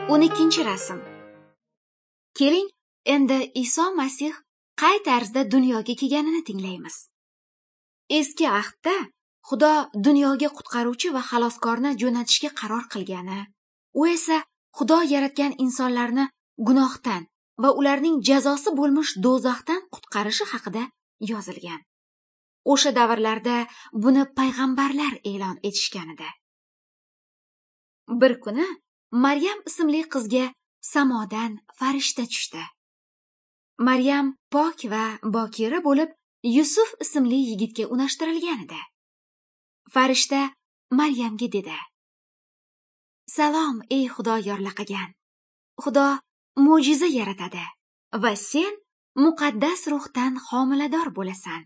12-rasm. Keling, endi Iso Masih qay tarzda dunyoga kelganini tinglaymiz. Eski ahdda Xudo dunyoga qutqaruvchi va xaloskorni jo'natishga qaror qilgani, u esa Xudo yaratgan insonlarni gunohdan va ularning jazosi bo'lmish do'zaxdan qutqarishi haqida yozilgan. O'sha davrlarda buni payg'ambarlar e'lon etishgan edi. Bir kuni Maryam ismli qizga samodan farishta tushdi. Maryam pok va bokira bo'lib, Yusuf ismli yigitga unashtirilgan edi. Farishta Maryamga dedi: "Salom, ey Xudo yorlaqagan. Xudo mo'jiza yaratadi va sen muqaddas ruhdan homilador bo'lasan.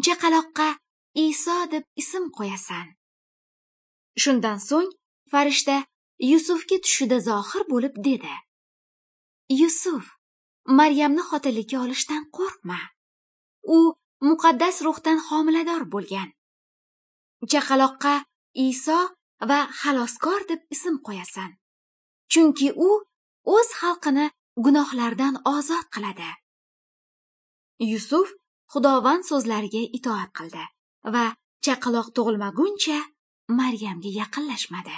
Chaqaloqqa Iso deb ism qo'yasan." Shundan so'ng farishta Yusufga tushida zohir bo'lib dedi: "Yusuf, Maryamni xotinlikka olishdan qo'rqma. U muqaddas ruhdan homilador bo'lgan. Chaqaloqqa Iso va xaloskor deb ism qo'yasan. Chunki u o'z xalqini gunohlardan ozod qiladi." Yusuf Xudovand so'zlariga itoat qildi va chaqaloq tug'ilmaguncha Maryamga yaqinlashmadi.